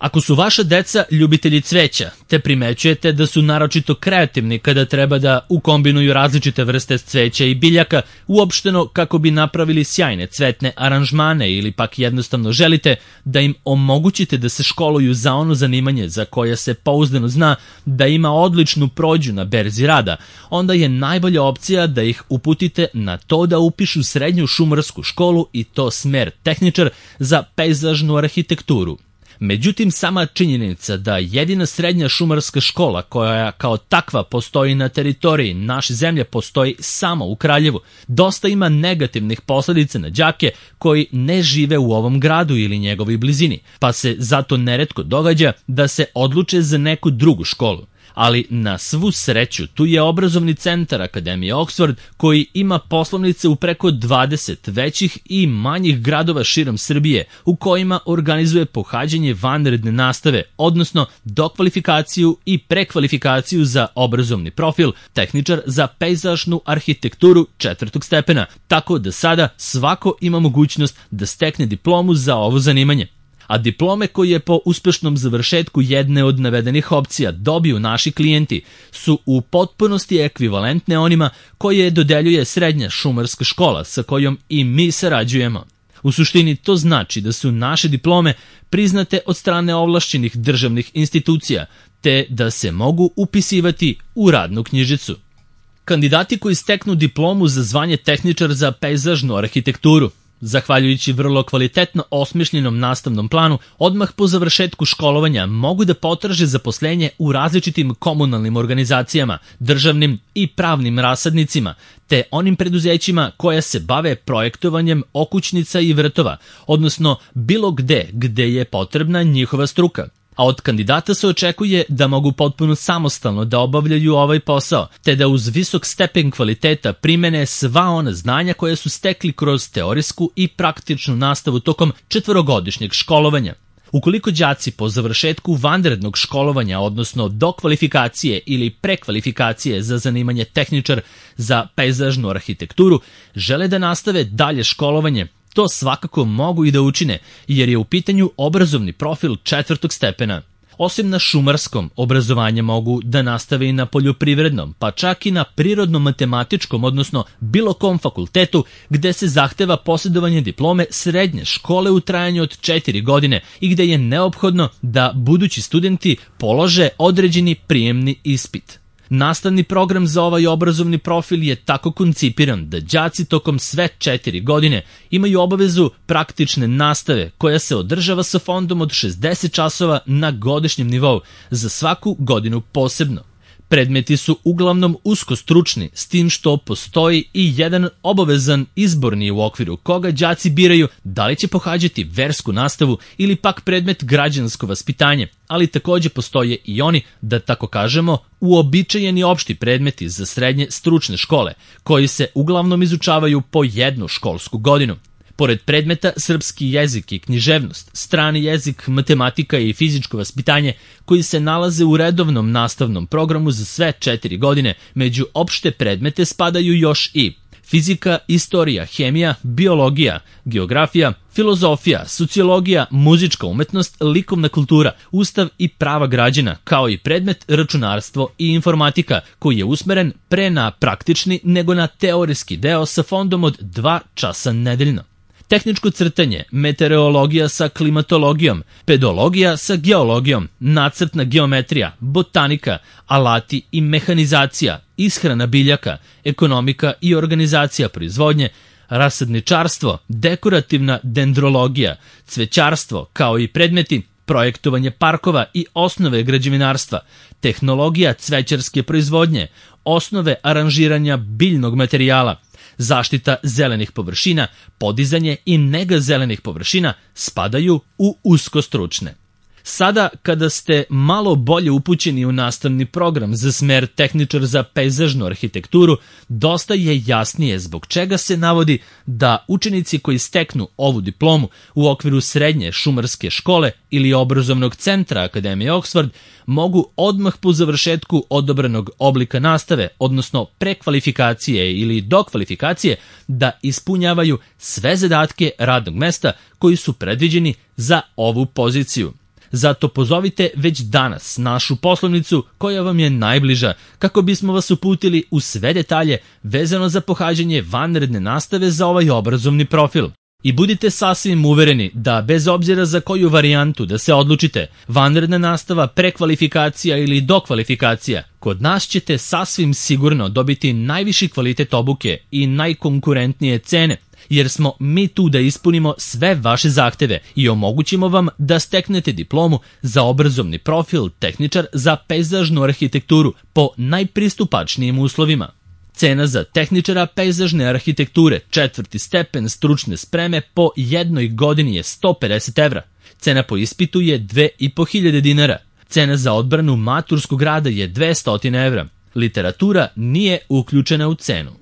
Ako su vaša deca ljubitelji cveća, te primećujete da su naročito kreativni kada treba da ukombinuju različite vrste cveća i biljaka, uopšteno kako bi napravili sjajne cvetne aranžmane ili pak jednostavno želite da im omogućite da se školuju za ono zanimanje za koje se pouzdano zna da ima odličnu prođu na berzi rada, onda je najbolja opcija da ih uputite na to da upišu srednju šumarsku školu i to smer tehničar za pejzažnu arhitekturu. Međutim, sama činjenica da jedina srednja šumarska škola koja kao takva postoji na teritoriji naše zemlje postoji samo u Kraljevu, dosta ima negativnih posledica na đake koji ne žive u ovom gradu ili njegovoj blizini, pa se zato neretko događa da se odluče za neku drugu školu. Ali na svu sreću tu je obrazovni centar Akademije Oxford koji ima poslovnice u preko 20 većih i manjih gradova širom Srbije u kojima organizuje pohađanje vanredne nastave, odnosno dokvalifikaciju i prekvalifikaciju za obrazovni profil tehničar za pejzažnu arhitekturu 4. stepena, tako da sada svako ima mogućnost da stekne diplomu za ovo zanimanje. A diplome koje po uspešnom završetku jedne od navedenih opcija dobiju naši klijenti su u potpunosti ekvivalentne onima koje dodeljuje srednja šumarska škola sa kojom i mi sarađujemo. U suštini to znači da su naše diplome priznate od strane ovlašćenih državnih institucija, te da se mogu upisivati u radnu knjižicu. Kandidati koji steknu diplomu za zvanje tehničar za pejzažnu arhitekturu, zahvaljujući vrlo kvalitetno osmišljenom nastavnom planu, odmah po završetku školovanja mogu da potraže zaposlenje u različitim komunalnim organizacijama, državnim i pravnim rasadnicima, te onim preduzećima koja se bave projektovanjem okućnica i vrtova, odnosno bilo gde je potrebna njihova struka. A od kandidata se očekuje da mogu potpuno samostalno da obavljaju ovaj posao, te da uz visok stepen kvaliteta primene sva ona znanja koje su stekli kroz teorijsku i praktičnu nastavu tokom 4-godišnjeg školovanja. Ukoliko đaci po završetku vanrednog školovanja, odnosno dokvalifikacije ili prekvalifikacije za zanimanje tehničar za pejzažnu arhitekturu, žele da nastave dalje školovanje, to svakako mogu i da učine, jer je u pitanju obrazovni profil 4. stepena. Osim na šumarskom, obrazovanje mogu da nastave i na poljoprivrednom, pa čak i na prirodno-matematičkom, odnosno bilo kom fakultetu gde se zahteva posjedovanje diplome srednje škole u trajanju od 4 godine i gde je neophodno da budući studenti polože određeni prijemni ispit. Nastavni program za ovaj obrazovni profil je tako koncipiran da đaci tokom sve 4 godine imaju obavezu praktične nastave koja se održava sa fondom od 60 časova na godišnjem nivou za svaku godinu posebno. Predmeti su uglavnom usko stručni, s tim što postoji i jedan obavezan izborni u okviru koga đaci biraju da li će pohađati versku nastavu ili pak predmet građansko vaspitanje, ali takođe postoje i oni, da tako kažemo, uobičajeni opšti predmeti za srednje stručne škole, koji se uglavnom izučavaju po jednu školsku godinu. Pored predmeta srpski jezik i književnost, strani jezik, matematika i fizičko vaspitanje koji se nalaze u redovnom nastavnom programu za sve 4 godine, među opšte predmete spadaju još i fizika, istorija, hemija, biologija, geografija, filozofija, sociologija, muzička umetnost, likovna kultura, ustav i prava građana, kao i predmet računarstvo i informatika, koji je usmeren pre na praktični nego na teorijski deo sa fondom od 2 časa nedeljno. Tehničko crtanje, meteorologija sa klimatologijom, pedologija sa geologijom, nacrtna geometrija, botanika, alati i mehanizacija, ishrana biljaka, ekonomika i organizacija proizvodnje, rasadničarstvo, dekorativna dendrologija, cvećarstvo, kao i predmeti projektovanje parkova i osnove građevinarstva, tehnologija cvećarske proizvodnje, osnove aranžiranja biljnog materijala, zaštita zelenih površina, podizanje i nega zelenih površina spadaju u uskostručne. Sada, kada ste malo bolje upućeni u nastavni program za smer tehničar za pejzažnu arhitekturu, dosta je jasnije zbog čega se navodi da učenici koji steknu ovu diplomu u okviru srednje šumarske škole ili obrazovnog centra Akademije Oxford mogu odmah po završetku odobranog oblika nastave, odnosno prekvalifikacije ili dokvalifikacije, da ispunjavaju sve zadatke radnog mesta koji su predviđeni za ovu poziciju. Zato pozovite već danas našu poslovnicu koja vam je najbliža kako bismo vas uputili u sve detalje vezano za pohađanje vanredne nastave za ovaj obrazovni profil. I budite sasvim uvereni da bez obzira za koju varijantu da se odlučite, vanredna nastava, prekvalifikacija ili dokvalifikacija, kod nas ćete sasvim sigurno dobiti najviši kvalitet obuke i najkonkurentnije cene, jer smo mi tu da ispunimo sve vaše zahteve i omogućimo vam da steknete diplomu za obrazovni profil tehničar za pejzažnu arhitekturu po najpristupačnijim uslovima. Cena za tehničara pejzažne arhitekture 4. stepen stručne spreme po jednoj godini je 150 evra. Cena po ispitu je 2500 dinara. Cena za odbranu maturskog rada je 200 evra. Literatura nije uključena u cenu.